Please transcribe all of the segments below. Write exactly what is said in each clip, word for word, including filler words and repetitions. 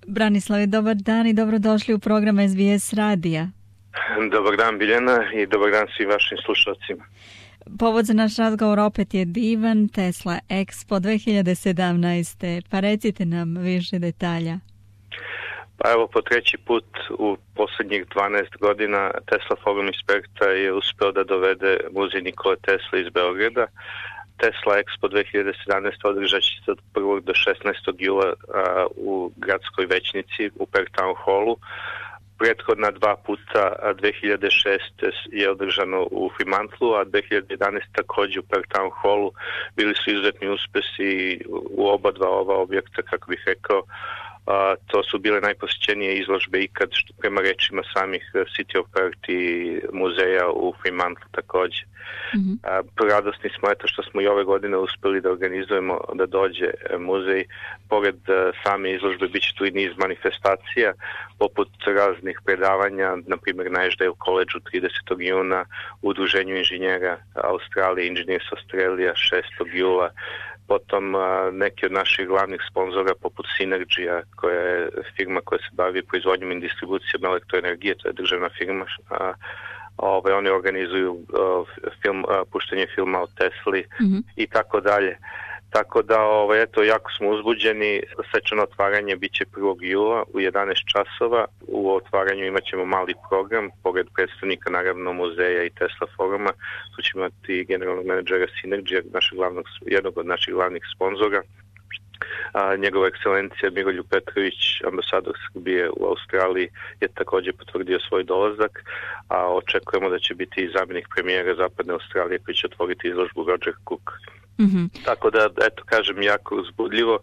Branislave, dobar dan i dobrodošli u program S B S radija. Dobar dan Biljana i dobar dan svim vašim slušalcima. Povod za naš razgovor opet je divan Tesla Expo dve hiljade sedamnaeste. Pa recite nam više detalja. Pa evo, po treći put u posljednjih dvanaest godina Tesla Forum Inspekta je uspeo da dovede muzej Nikole Tesle iz Beograda. Tesla Expo dve hiljade sedamnaeste održat će se od prvog do šesnaestog jula a, u gradskoj većnici u Perk Town Hallu. Prethodna dva puta, dve hiljade šeste je održano u Fremantlu, a dve hiljade jedanaeste također u Perk Town Hallu. Bili su izuzetni uspesi u oba dva ova objekta, kako bih rekao. A, to su bile najposjećenije izložbe ikad, što prema rečima samih City of Perth i muzeja u Fremantlu također. Mm-hmm. A, radosni smo eto što smo i ove godine uspjeli da organizujemo da dođe muzej. Pored a, same izložbe bit će tu i niz manifestacija, poput raznih predavanja, na primjer na Ashdale College-u tridesetog juna, u Udruženju inženjera Australije, Engineers Australia šestog jula, potom a, neki od naših glavnih sponzora poput Synergy, koja je firma koja se bavi proizvodnjom i distribucijom elektroenergije, to je državna firma. A, ove, oni organizuju a, film, a, puštenje filma o Tesli mm-hmm. i tako dalje. Tako da, ove, eto, jako smo uzbuđeni. Svečano otvaranje bit će prvog jula u jedanaest časova. U otvaranju imat ćemo mali program, pored predstavnika naravno muzeja i Tesla foruma. Tu ćemo imati generalnog menadžera Synergy, našeg glavnog, jednog od naših glavnih sponzora. A, njegova ekscelencija Miroljub Petrović, ambasador Srbije u Australiji, je također potvrdio svoj dolazak, a očekujemo da će biti i zamjenik premijera Zapadne Australije koji će otvoriti izložbu Roger Cook. Mm-hmm. Tako da, eto, kažem, jako uzbudljivo.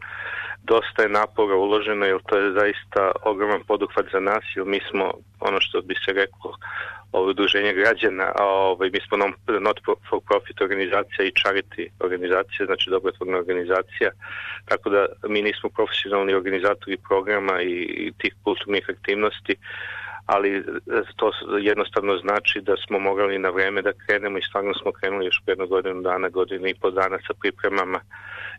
Dosta je napora uloženo, jer to je zaista ogroman poduhvat za nas, jer mi smo, ono što bi se reklo, ovo udruženje građana, a ovaj, mi smo not for profit organizacija i charity organizacija, znači dobrotvorna organizacija, tako da mi nismo profesionalni organizatori programa i, i tih kulturnih aktivnosti, ali to jednostavno znači da smo morali na vreme da krenemo i stvarno smo krenuli još jednu godinu dana, godinu i pol dana sa pripremama,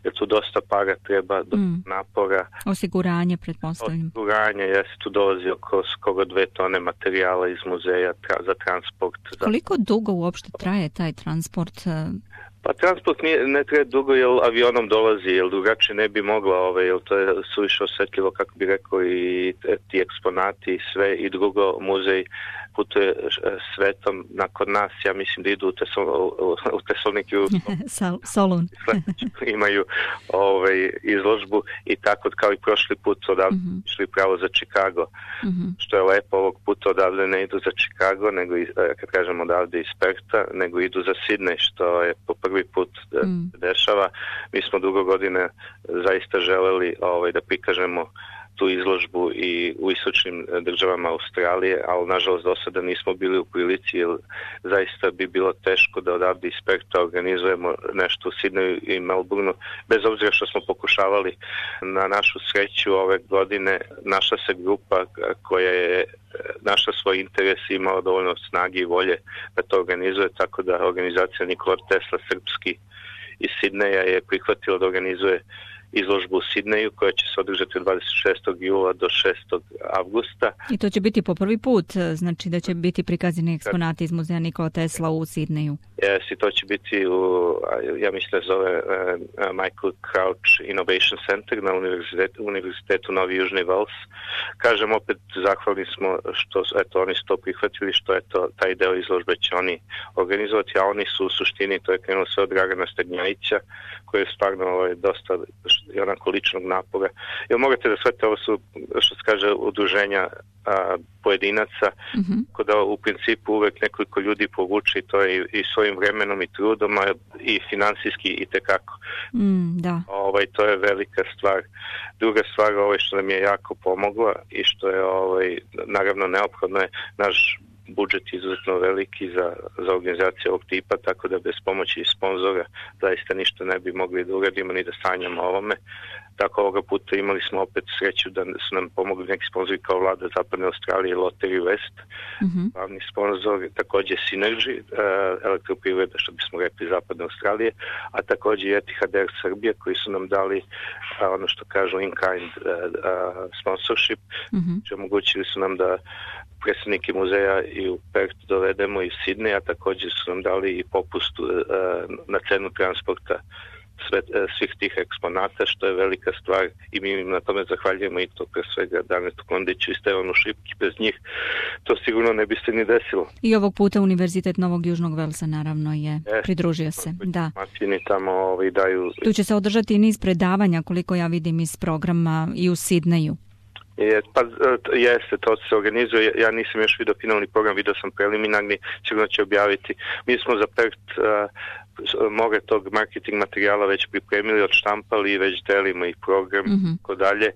jer tu dosta para treba, dosta mm. napora. Osiguranje, pretpostavljam. Osiguranje, jeste, tu dolazi oko skoro dve tone materijala iz muzeja tra, za transport. Koliko dugo uopšte traje taj transport? Pa transport nije, ne treba dugo, jer avionom dolazi, jer drugačije ne bi mogla, ove, jer to je suviše osjetljivo, kako bi rekao, i ti eksponati i sve, i drugo, muzej putuje svetom. Nakon nas, ja mislim da idu u, Tesol, u Tesaloniki u Solun. Imaju ovaj, izložbu i tako kao i prošli put odavde mm-hmm. išli pravo za Chicago. Mm-hmm. Što je lepo, ovog puta odavde ne idu za Chicago, nego, kad kažem odavde iz Perta, nego idu za Sydney, što je po prvi put mm. dešava. Mi smo dugo godine zaista želeli ovaj, da prikažemo tu izložbu i u istočnim državama Australije, ali nažalost do sada nismo bili u prilici, jer zaista bi bilo teško da odavde iz Perta organizujemo nešto u Sidneju i Melbourneu, bez obzira što smo pokušavali. Na našu sreću ove godine našla se grupa koja je našla svoj interes i imala dovoljno snage i volje da to organizuje, tako da organizacija Nikola Tesla srpski iz Sidneja je prihvatila da organizuje izložbu u Sidneju koja će se održati od dvadeset šestog jula do šestog avgusta. I to će biti po prvi put, znači da će biti prikazani eksponati iz muzeja Nikola Tesla u Sidneju. Jes, i to će biti u, ja mislim da zove uh, Michael Crouch Innovation Center na univerzitetu, univerzitetu Novi Južni Vels. Kažem, opet zahvalni smo što eto, oni su to prihvatili, što eto, taj deo izložbe će oni organizovati, a oni su u suštini, to je krenulo sve od Dragana Stegnjajića, koji je stvarno ovaj, dosta i onako ličnog napora. Jer morate da shvatite, ovo su, što se kaže, udruženja a, pojedinaca, mm-hmm. kada u principu uvek nekoliko ljudi povuče, to je i, i svojim vremenom i trudom, a i finansijski i tekako. Mm, da. Ovaj, to je velika stvar. Druga stvar, ovaj, što nam je jako pomogla i što je ovaj, naravno neophodno je naš budžet izuzetno veliki za, za organizaciju ovog tipa, tako da bez pomoći sponzora zaista ništa ne bi mogli da uradimo ni da sanjamo ovome. Tako ovoga puta imali smo opet sreću da su nam pomogli neki sponzori kao vlada Zapadne Australije, Lottery West, mm-hmm. glavni sponzor, također Synergy, uh, elektroprivreda, što bismo rekli Zapadne Australije, a također i Etihad Air Srbija, koji su nam dali uh, ono što kažu in-kind uh, uh, sponsorship, mm-hmm. što omogućili su nam da predstavnike muzeja i u Perth dovedemo i u Sidney, a također su nam dali i popust uh, na cenu transporta sve, svih tih eksponata, što je velika stvar i mi im na tome zahvaljujemo i to pre svega Danetu Kondiću i Stevanu Šipki. Bez njih to sigurno ne bi se ni desilo. I ovog puta Univerzitet Novog Južnog Velsa naravno je e, pridružio se. Da. Tamo ovaj, daju... Tu će se održati niz predavanja, koliko ja vidim iz programa, i u Sidneju. Je, pa jeste, to se organizuje. Ja nisam još vidio finalni program, vidio sam preliminarni, sigurno će objaviti. Mi smo za Perth uh, more tog marketing materijala već pripremili, odštampali i već delimo i program, mm-hmm. tako dalje.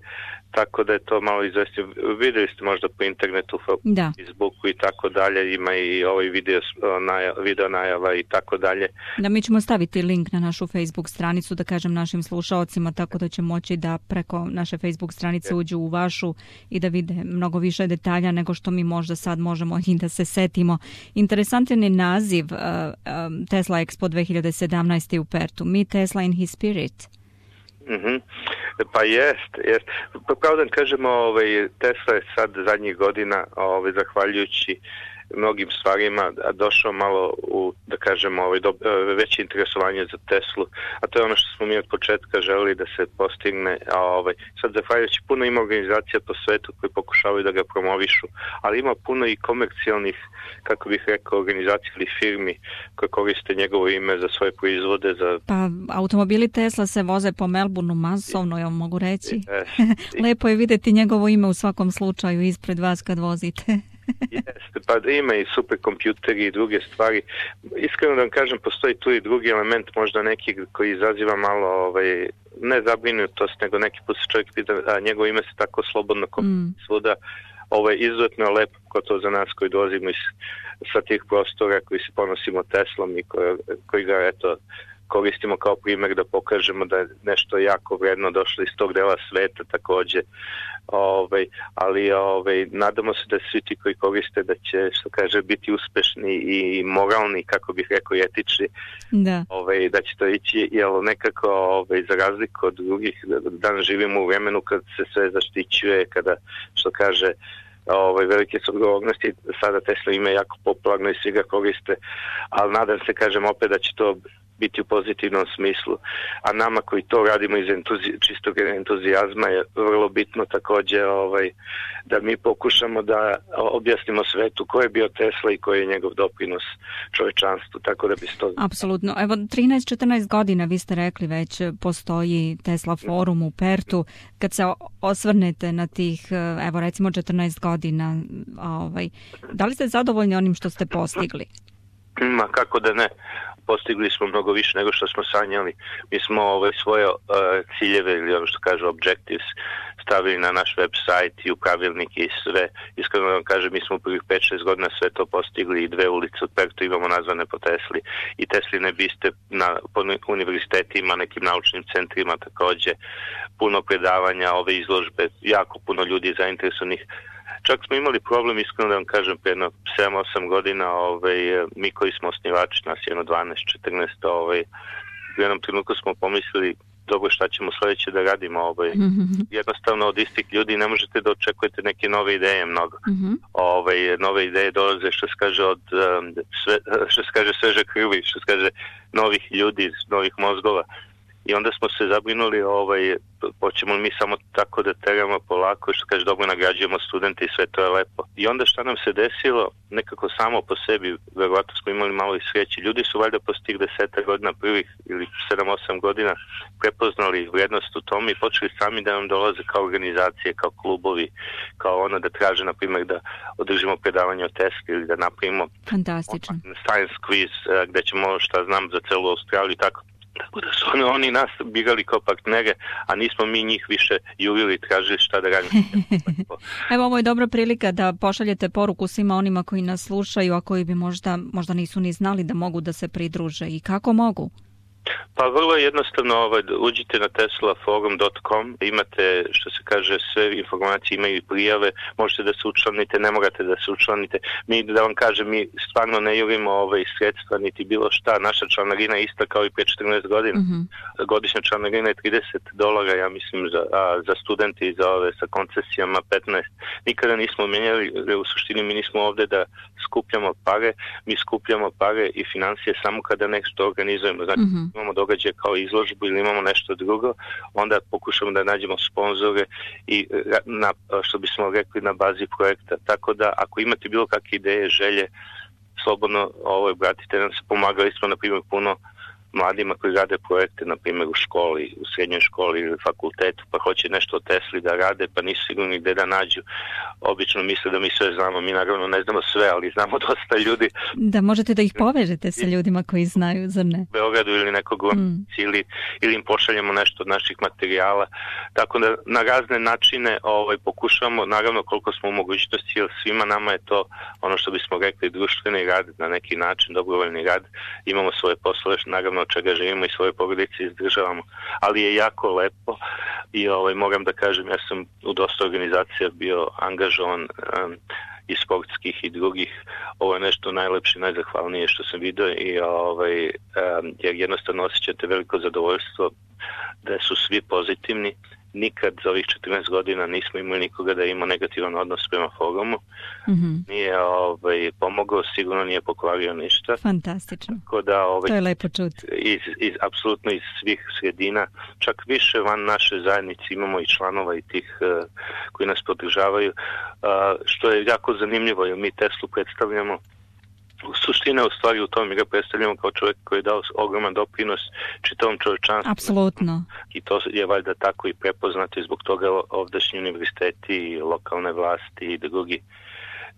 Tako da je to malo izvestio. Vidjeli ste možda po internetu, da. Facebooku i tako dalje, ima i ovaj video, naja, video najava i tako dalje. Da, mi ćemo staviti link na našu Facebook stranicu, da kažem našim slušaocima, tako da će moći da preko naše Facebook stranice uđu u vašu i da vide mnogo više detalja nego što mi možda sad možemo i da se setimo. Interesantan je naziv uh, um, Tesla Expo dve hiljade sedamnaeste u Perthu, Meet Tesla in his spirit. Mm-hmm. Pa jest, jest. Pa pravo da kažemo, ovaj, Tesla je sad zadnjih godina, ovaj, zahvaljujući mnogim stvarima, došao malo u, da kažemo, ovaj, do, veće interesovanje za Teslu, a to je ono što smo mi od početka želeli da se postigne, a ovaj, sad zahvaljujući puno ima organizacija po svetu koji pokušavaju da ga promovišu, ali ima puno i komercijalnih, kako bih rekao, organizacija ili firmi koje koriste njegovo ime za svoje proizvode. Za... Pa automobili Tesla se voze po Melbourneu masovno, ja mogu reći. Lepo je vidjeti njegovo ime u svakom slučaju ispred vas kad vozite. Jeste, pa ima i superkompjuteri i druge stvari. Iskreno da vam kažem, postoji tu i drugi element, možda neki koji izaziva malo, ovaj, ne zabrinutost, nego neki put se čovjek pita, a njegovo ime se tako slobodno mm. svuda. Ovo je izuzetno lepo, ko to za nas koji dolazimo iz, sa tih prostora, koji se ponosimo Teslom i koji, koji ga, eto, koristimo kao primjer da pokažemo da je nešto jako vredno došlo iz tog dela sveta također. Ovaj, ali ovaj, nadamo se da svi ti koji koriste da će, što kaže, biti uspešni i moralni, kako bih rekao, i etični, da. Ovaj, da će to ići, jer nekako ovaj, za razliku od drugih, danas živimo u vremenu kad se sve zaštićuje, kada, što kaže, ovaj, velike su odgovornosti, sada Tesla ima jako popularno i svi ga koriste, ali nadam se, kažem opet, da će to biti u pozitivnom smislu, a nama koji to radimo iz entuzi, čistog entuzijazma je vrlo bitno također ovaj, da mi pokušamo da objasnimo svetu ko je bio Tesla i koji je njegov doprinos čovječanstvu, tako da bi se to... Apsolutno. Evo, trinaest četrnaest godina, vi ste rekli već, postoji Tesla forum u Perthu. Kad se osvrnete na tih, evo recimo četrnaest godina, ovaj, da li ste zadovoljni onim što ste postigli? Ma kako da ne. Postigli smo mnogo više nego što smo sanjali. Mi smo ove svoje uh, ciljeve ili ono što kažu objectives stavili na naš website i u pravilnike i sve. Iskreno vam kažem, mi smo u prvih pet šest godina sve to postigli i dve ulice od Perthu imamo nazvane po Tesli i Tesline biste na po univerzitetima, nekim naučnim centrima također, puno predavanja, ove izložbe, jako puno ljudi zainteresovanih. Čak smo imali problem, iskreno da vam kažem, pre jedno sedam osam godina, ovaj, mi koji smo osnivači, nas jedno dvanaest četrnaest, ovaj, u jednom trenutku smo pomislili, dobro, šta ćemo sljedeće da radimo, ovaj, mm-hmm. jednostavno od istih ljudi ne možete da očekujete neke nove ideje mnogo. Mm-hmm. Ovaj, nove ideje dolaze, što se kaže, od sve, što se kaže sveže krvi, što se kaže novih ljudi, novih mozgova. I onda smo se zabrinuli, ovaj, hoćemo mi samo tako da teramo polako, što kaže, dobro nagrađujemo studente i sve to je lepo. I onda šta nam se desilo, nekako samo po sebi, verovatno smo imali malo i sreće. Ljudi su valjda post tih deseta godina prvih ili sedam osam godina prepoznali vrijednost u tom i počeli sami da nam dolaze kao organizacije, kao klubovi, kao ono da traže, na primjer, da održimo predavanje o Tesli ili da napravimo fantastično science quiz gdje ćemo, šta znam, za celu Australiju i tako. Tako da su oni, oni nas birali kao partnere, a nismo mi njih više jurili i tražili šta da radimo. Evo, ovo je dobra prilika da pošaljete poruku svima onima koji nas slušaju, a koji bi možda, možda nisu ni znali da mogu da se pridruže. I kako mogu? Pa vrlo je jednostavno, ovaj, uđite na tesla forum dot com, imate, što se kaže, sve informacije, imaju i prijave, možete da se učlanite, ne morate da se učlanite. Mi, da vam kažem, mi stvarno ne jurimo ovaj, sredstva, niti bilo šta. Naša članarina je ista kao i pre četrnaest godina. Mm-hmm. Godišnja članarina je trideset dolara, ja mislim, za, a, za studente i za ove sa koncesijama petnaest. Nikada nismo menjali, u suštini mi nismo ovde da skupljamo pare, mi skupljamo pare i financije samo kada nešto organizujemo. Znači, mm-hmm. imamo događaje kao izložbu ili imamo nešto drugo, onda pokušamo da nađemo sponzore i na, što bismo rekli, na bazi projekta. Tako da, ako imate bilo kakve ideje, želje, slobodno ovo, obratite nam se. Pomagali smo, na primjer, puno mladima koji rade projekte, na primjer u školi, u srednjoj školi ili fakultetu, pa hoće nešto o Tesli da rade, pa nisu sigurni gde da nađu. Obično misle da mi sve znamo, mi naravno ne znamo sve, ali znamo dosta ljudi. Da možete da ih povežete sa ljudima koji znaju, zar ne? U Beogradu ili nekog mm. ili, ili im pošaljemo nešto od naših materijala. Tako da na razne načine ovaj, pokušamo, naravno koliko smo u mogućnosti, jer svima nama je to ono što bismo rekli društveni rad, na neki način dobrovoljni rad. Imamo svoje poslove, naravno od čega živimo i svoje porodice izdržavamo, ali je jako lepo i ovaj, moram da kažem, ja sam u dosta organizacija bio angažovan um, i sportskih i drugih. Ovo je nešto najlepše, najzahvalnije što sam vidio i ovaj, um, jer jednostavno osjećate veliko zadovoljstvo da su svi pozitivni. Nikad za ovih četrnaest godina nismo imali nikoga da ima negativan odnos prema forumu. Mm-hmm. Nije ovaj, pomogao, sigurno nije pokvario ništa. Fantastično. Da, ovaj, to je lepo čuti. Iz, iz, apsolutno iz svih sredina, čak više van naše zajednice imamo i članova i tih uh, koji nas podržavaju, uh, što je jako zanimljivo, jer mi Teslu predstavljamo. Suština je u stvari u tom, mi ga predstavljamo kao čovjek koji je dao ogroman doprinos čitavom čovječanstvu. Apsolutno. I to je valjda tako i prepoznato i zbog toga ovdašnji univerziteti i lokalne vlasti i drugi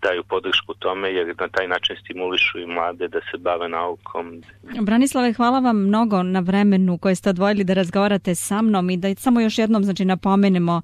daju podršku tome, jer na taj način stimulišu i mlade da se bave naukom. Branislave, hvala vam mnogo na vremenu koje ste odvojili da razgovarate sa mnom i da samo još jednom, znači, napomenemo,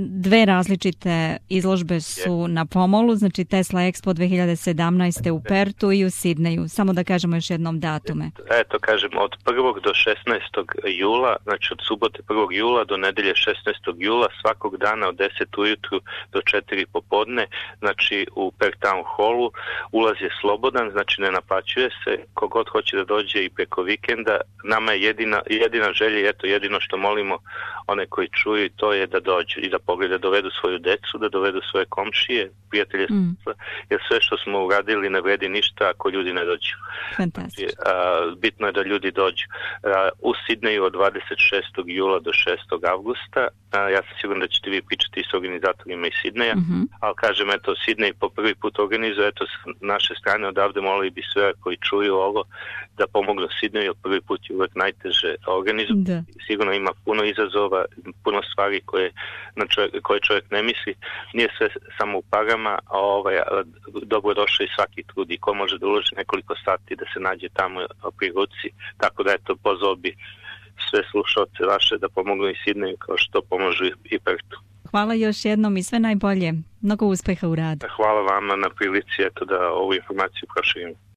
dve različite izložbe su je. na pomolu, znači Tesla Expo dve hiljade sedamnaeste u Pertu i u Sidneju. Samo da kažemo još jednom datume. Eto, kažemo, od prvog do šesnaestog jula, znači od subote prvog jula do nedelje šesnaestog jula, svakog dana od deset ujutru do četiri popodne, znači u Pertown Hallu, ulaz je slobodan, znači ne naplaćuje se, kogod hoće da dođe i preko vikenda. Nama je jedina, jedina želja, eto jedino što molimo one koji čuju, to je da dođu i da pogledaju, da dovedu svoju decu, da dovedu svoje komšije, prijatelje, mm. jer sve što smo uradili ne vredi ništa ako ljudi ne dođu. Fantastično. Znači, bitno je da ljudi dođu. A, u Sidneju od dvadeset šestog jula do šestog avgusta, a, ja sam siguran da ćete vi pričati s organizatorima iz Sidneja, mm-hmm. ali kažem, eto, Sidnej po prvi put organizuje, eto, s naše strane odavde molili bi sve koji čuju ovo da pomognu Sidneju, jer prvi put je uvek najteže organizuje. Sigurno ima puno izazova, puno stvari koje, na čovjek, koje čovjek ne misli. Nije sve samo u parama, a ovaj, dobro došao i svaki trud i ko može da uloži nekoliko sati da se nađe tamo pri ruci. Tako da, eto, pozvao bi sve slušalce vaše da pomognu i Sidneju kao što pomožu i Pertu. Hvala još jednom i sve najbolje. Mnogo uspeha u radu. Hvala vama na prilici, eto, da ovu informaciju proširimo.